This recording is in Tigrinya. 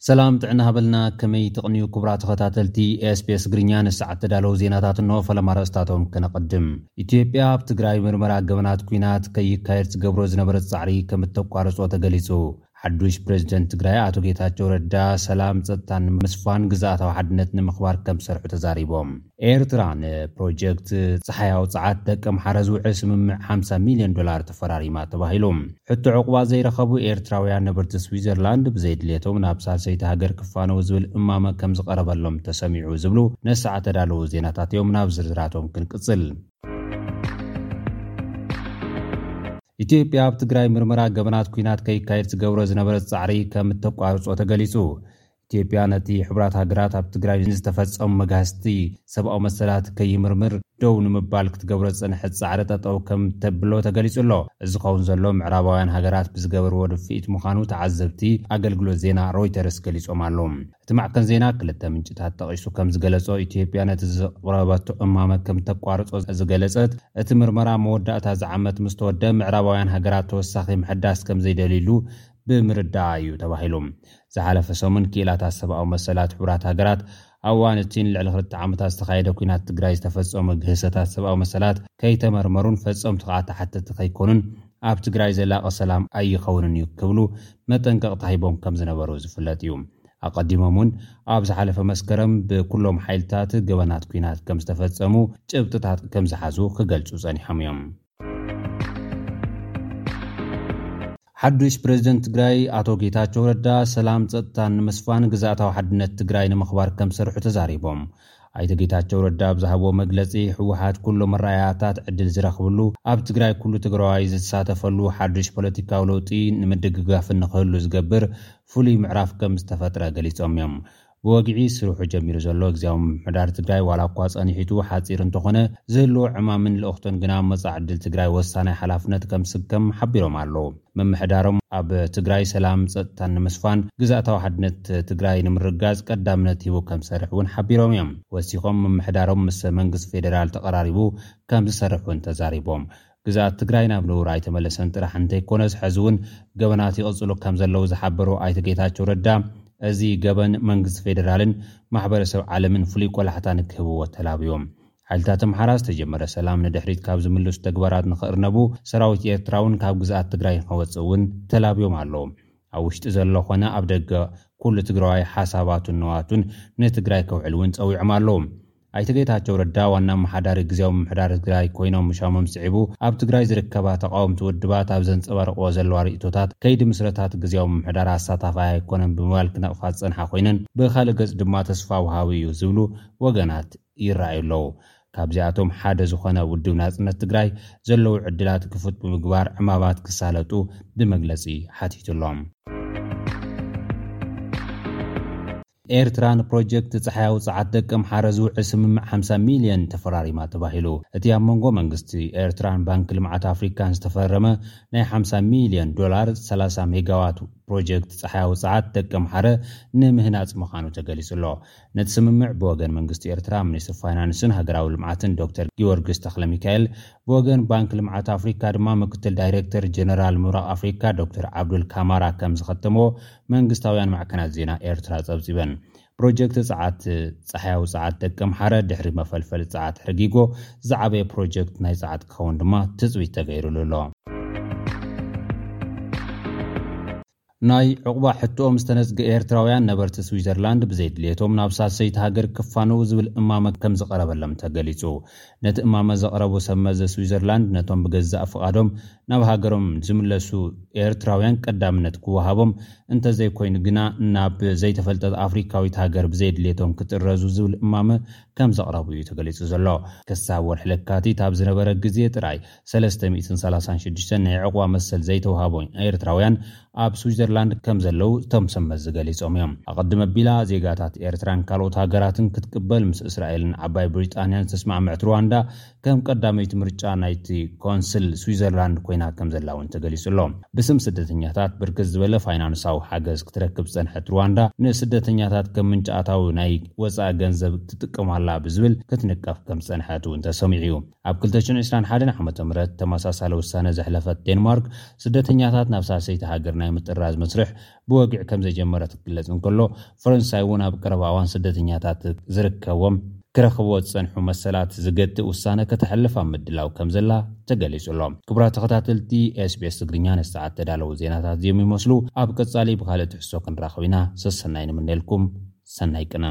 ሰላም ጥዕና ሃበልና፣ ከመይ ትቕንዩ ክቡራት ተኸታተልቲ ኤስቢኤስ ትግርኛ? ንሰዓት ተዳለዉ ዜናታት እንሆ፣ ፈለማ ኣርእስታቶም ከነቐድም። ኢትዮጵያ ኣብ ትግራይ ምርመራ ገበናት ኲናት ከይካየድ ዝገብሮ ዝነበረ ጻዕሪ ከም እተቋርጾ ተገሊጹ። ሓዱሽ ፕሬዝደንት ትግራይ ኣቶ ጌታቸው ረዳ ሰላም ጸጥታን ምስፋን ግዝኣታዊ ሓድነት ንምኽባር ከም ዝሰርሑ ተዛሪቦም። ኤርትራ ንፕሮጀክት ጸሓያዊ ጸዓት ደቂ ኣምሓረ ዝውዕል ስምምዕ ሓምሳ ሚልዮን ዶላር ተፈራሪማ ተባሂሉ። ሕቶ ዕቑባ ዘይረኸቡ ኤርትራውያን ነበርቲ ስዊዘርላንድ ብዘይድልየቶም ናብ ሳልሰይቲ ሃገር ክፋነው ዝብል እማመ ከም ዝቐረበሎም ተሰሚዑ ዝብሉ ነሰዓት ተዳለዉ ዜናታት እዮም። ናብ ዝርዝራቶም ክንቅጽል። ኢትዮጵያ ኣብ ትግራይ ምርመራ ገበናት ኲናት ከይካየድ ዝገብሮ ዝነበረ ጻዕሪ ከም እተቋርጾ ተገሊጹ። ኢትዮጵያ ነቲ ሕቡራት ሃገራት ኣብ ትግራይ ንዝተፈጸሙ መግሃስቲ ሰብኣዊ መሰላት ከይምርምር ደው ንምባል ክትገብሮ ዝጸንሐት ጻዕሪ ጠጠው ከም ተብሎ ተገሊጹ ኣሎ። እዚ ዝኸውን ዘሎ ምዕራባውያን ሃገራት ብዝገበርዎ ድፍኢት ምዃኑ ተዓዘብቲ ኣገልግሎት ዜና ሮይተርስ ገሊጾም ኣለዉ። እቲ ማዕከን ዜና ክልተ ምንጭታት ጠቒሱ ከም ዝገለጾ፣ ኢትዮጵያ ነቲ ዘቕረበቶ እማመ ከም ተቋርጾ ዝገለጸት፣ እቲ ምርመራ መወዳእታ እዚ ዓመት ምስ ተወደ ምዕራባውያን ሃገራት ተወሳኺ ምሕዳስ ከም ዘይደልዩሉ ብምርዳኣ እዩ ተባሂሉ። ዝሓለፈ ሰሙን ክኢላታት ሰብኣዊ መሰላት ሕቡራት ሃገራት ኣብ እዋን እቲ ንልዕሊ ክልተ ዓመታት ዝተኻየደ ኲናት ትግራይ ዝተፈጸሙ ግህሰታት ሰብኣዊ መሰላት ከይተመርመሩን ፈጸምቱ ከዓ ተሓተቲ ከይኮኑን ኣብ ትግራይ ዘላቒ ሰላም ኣይኸውንን እዩ ክብሉ መጠንቀቕታ ሂቦም ከም ዝነበሩ ዝፍለጥ እዩ። ኣቐዲሞም እውን ኣብ ዝሓለፈ መስከረም ብኩሎም ሓይልታት ገበናት ኲናት ከም ዝተፈጸሙ ጭብጥታት ከም ዝሓዙ ክገልጹ ጸኒሖም እዮም። ሓዱሽ ፕሬዝደንት ትግራይ ኣቶ ጌታቸው ረዳ ሰላም ጸጥታን ንምስፋን ግዝኣታዊ ሓድነት ትግራይ ንምኽባር ከም ዝሰርሑ ተዛሪቦም። ኣይተ ጌታቸው ረዳ ኣብ ዝሃብዎ መግለጺ፣ ህወሓት ኩሉ መረኣያታት ዕድል ዝረኽብሉ፣ ኣብ ትግራይ ኩሉ ትግራዋይ ዝሳተፈሉ ሓዱሽ ፖለቲካዊ ለውጢ ንምድግጋፍን ንኽህሉ ዝገብር ፍሉይ ምዕራፍ ከም ዝተፈጥረ ገሊጾም እዮም። ብወግዒ ስርሑ ጀሚሩ ዘሎ ግዝያዊ ምምሕዳር ትግራይ ዋላ እኳ ጸኒሒቱ ሓጺር እንተኾነ፣ ዝህልዎ ዕማምን ልእኽቶን ግና መጻኢ ዕድል ትግራይ ወሳናይ ሓላፍነት ከም ዝስከም ሓቢሮም ኣለዉ። ምምሕዳሮም ኣብ ትግራይ ሰላም ጸጥታን ንምስፋን ግዝኣታዊ ሓድነት ትግራይ ንምርጋጽ ቀዳምነት ሂቡ ከም ዝሰርሕ እውን ሓቢሮም እዮም። ወሲኾም ምምሕዳሮም ምስ መንግስቲ ፌዴራል ተቐራሪቡ ከም ዝሰርሕ እውን ተዛሪቦም። ግዝኣት ትግራይ ናብ ንቡር ኣይተመለሰን ጥራሕ እንተይኮነስ፣ ሕዚ እውን ገበናት ይቕጽሉ ከም ዘለዉ ዝሓበሩ ኣይተ ጌታቸው ረዳ፣ እዚ ገበን መንግስቲ ፌዴራልን ማሕበረሰብ ዓለምን ፍሉይ ቆላሕታ ንክህብዎ ተላብዮም። ሓይልታት ኣምሓራ ዝተጀመረ ሰላም ንድሕሪት ካብ ዝምልሱ ተግባራት ንኽእርነቡ፣ ሰራዊት ኤርትራ እውን ካብ ግዝኣት ትግራይ ንኸወፅእ እውን ተላብዮም ኣለዉ። ኣብ ውሽጢ ዘሎ ኾነ ኣብ ደገ ኩሉ ትግራዋይ ሓሳባቱን ንዋቱን ንትግራይ ከውዕል እውን ጸዊዖም ኣለዉ። ኣይተ ጌታቸው ረዳ ዋና ኣመሓዳሪ ግዝያዊ ምምሕዳር ትግራይ ኮይኖም ምሻሞም ስዒቡ፣ ኣብ ትግራይ ዝርከባ ተቃወምቲ ውድባት ኣብ ዘንጸባርቅዎ ዘለዋ ርእይቶታት፣ ከይዲ ምስረታት ግዝያዊ ምምሕዳር ኣሳታፋይ ኣይኮነን ብምባል ክነቕፋ ዝጸንሓ ኮይነን፣ ብኻልእ ገጽ ድማ ተስፋ ወሃቢ እዩ ዝብሉ ወገናት ይረኣዩ ኣለዉ። ካብዚኣቶም ሓደ ዝኾነ ውድብ ናጽነት ትግራይ ዘለዉ ዕድላት ክፉት ብምግባር ዕማማት ክሳለጡ ብመግለጺ ሓቲቱ ኣሎ። ኤርትራ ንፕሮጀክት ጸሓያዊ ጸዓት ደቂ ኣምሓረ ዝውዕል ስምምዕ ሓምሳ ሚልዮን ተፈራሪማ ተባሂሉ። እቲ ኣብ መንጎ መንግስቲ ኤርትራን ባንክ ልምዓት ኣፍሪካን ዝተፈረመ ናይ ሓምሳ ሚልዮን ዶላር ሰላሳ ሜጋዋት ፕሮጀክት ጸሓያዊ ጸዓት ደቂ ኣምሓረ ንምህናጽ ምዃኑ ተገሊጹ ኣሎ። ነቲ ስምምዕ ብወገን መንግስቲ ኤርትራ ሚኒስትር ፋይናንስን ሃገራዊ ልምዓትን ዶክተር ጊዮርጊስ ተኽለ ሚካኤል፣ ብወገን ባንክ ልምዓት ኣፍሪካ ድማ ምክትል ዳይሬክተር ጀነራል ምብራቕ ኣፍሪካ ዶክተር ዓብዱል ካማራ ከም ዝኸተምዎ መንግስታውያን ማዕከናት ዜና ኤርትራ ጸብጺበን። ፕሮጀክት ጸዓት ጸሓያዊ ጸዓት ደቂ ኣምሓረ ድሕሪ መፈልፈሊ ጸዓት ሕርጊጎ ዝዓበየ ፕሮጀክት ናይ ጸዓት ክኸውን ድማ ትጽቢት ተገይሩሉ ኣሎ። ናይ ዕቑባ ሕቶኦም ዝተነጽገ ኤርትራውያን ነበርቲ ስዊዘርላንድ ብዘይድልየቶም ናብ ሳልሰይቲ ሃገር ክፋነዉ ዝብል እማመ ከም ዝቐረበሎም ተገሊጹ። ነቲ እማመ ዘቕረቡ ሰብ መዚ ስዊዘርላንድ ነቶም ብገዛእ ፍቓዶም ናብ ሃገሮም ዝምለሱ ኤርትራውያን ቀዳምነት ክወሃቦም፣ እንተዘይኮይኑ ግና ናብ ዘይተፈልጠት ኣፍሪካዊት ሃገር ብዘይድልየቶም ክጥረዙ ዝብል እማመ ከም ዘቕረቡ እዩ ተገሊጹ ዘሎ። ክሳብ ወርሒ ለካቲት ኣብ ዝነበረ ግዜ ጥራይ ሰለስተ ሚእትን ሰላሳን ሽዱሽተን ናይ ዕቑባ መሰል ዘይተውሃቦም ኤርትራውያን ኣብ ስዊዘርላንድ ከም ዘለዉ እቶም ሰብ መዚ ገሊጾም እዮም። ኣቐድም ኣቢላ ዜጋታት ኤርትራን ካልኦት ሃገራትን ክትቅበል ምስ እስራኤልን ዓባይ ብሪጣንያን ዝተስማዕመዐት ሩዋንዳ ከም ቀዳመይቲ ምርጫ ናይቲ ኮንስል ስዊዘርላንድ ኮይና ከም ዘላ እውን ተገሊጹ ኣሎ። ብስም ስደተኛታት ብርክት ዝበለ ፋይናንሳዊ ሓገዝ ክትረክብ ዝጸንሐት ሩዋንዳ ንስደተኛታት ከም ምንጪ ኣታዊ ናይ ወጻኢ ገንዘብ ትጥቀማሉ ኣላ ብዝብል ክትንቀፍ ከም ዝጸንሐት እውን ተሰሚዑ እዩ። ኣብ ክልተ ሽሕን ዕስራን ሓደን ዓመተ ምህረት ተመሳሳሊ ውሳነ ዘሕለፈት ዴንማርክ፣ ስደተኛታት ናብ ሳልሰይቲ ሃገር ናይ ምጥራዝ መስርሕ ብወግዒ ከም ዘጀመረት ክግለጽ እንከሎ፣ ፈረንሳይ እውን ኣብ ቀረባ እዋን ስደተኛታት ዝርከቦም ክረኽብዎ ዝጸንሑ መሰላት ዝገትእ ውሳነ ከተሕልፍ ኣብ ምድላው ከም ዘላ ተገሊጹ ኣሎ። ክቡራት ተኸታተልቲ፣ SBS ትግርኛ ነዚ ሰዓት ተዳለዉ ዜናታት እዚኦም ይመስሉ። ኣብ ቀጻሊ ብኻልእ ትሕዝቶ ክንራኸብ ኢና። ሰሰናይ ንምነልኩም። ሰናይ ቅነ።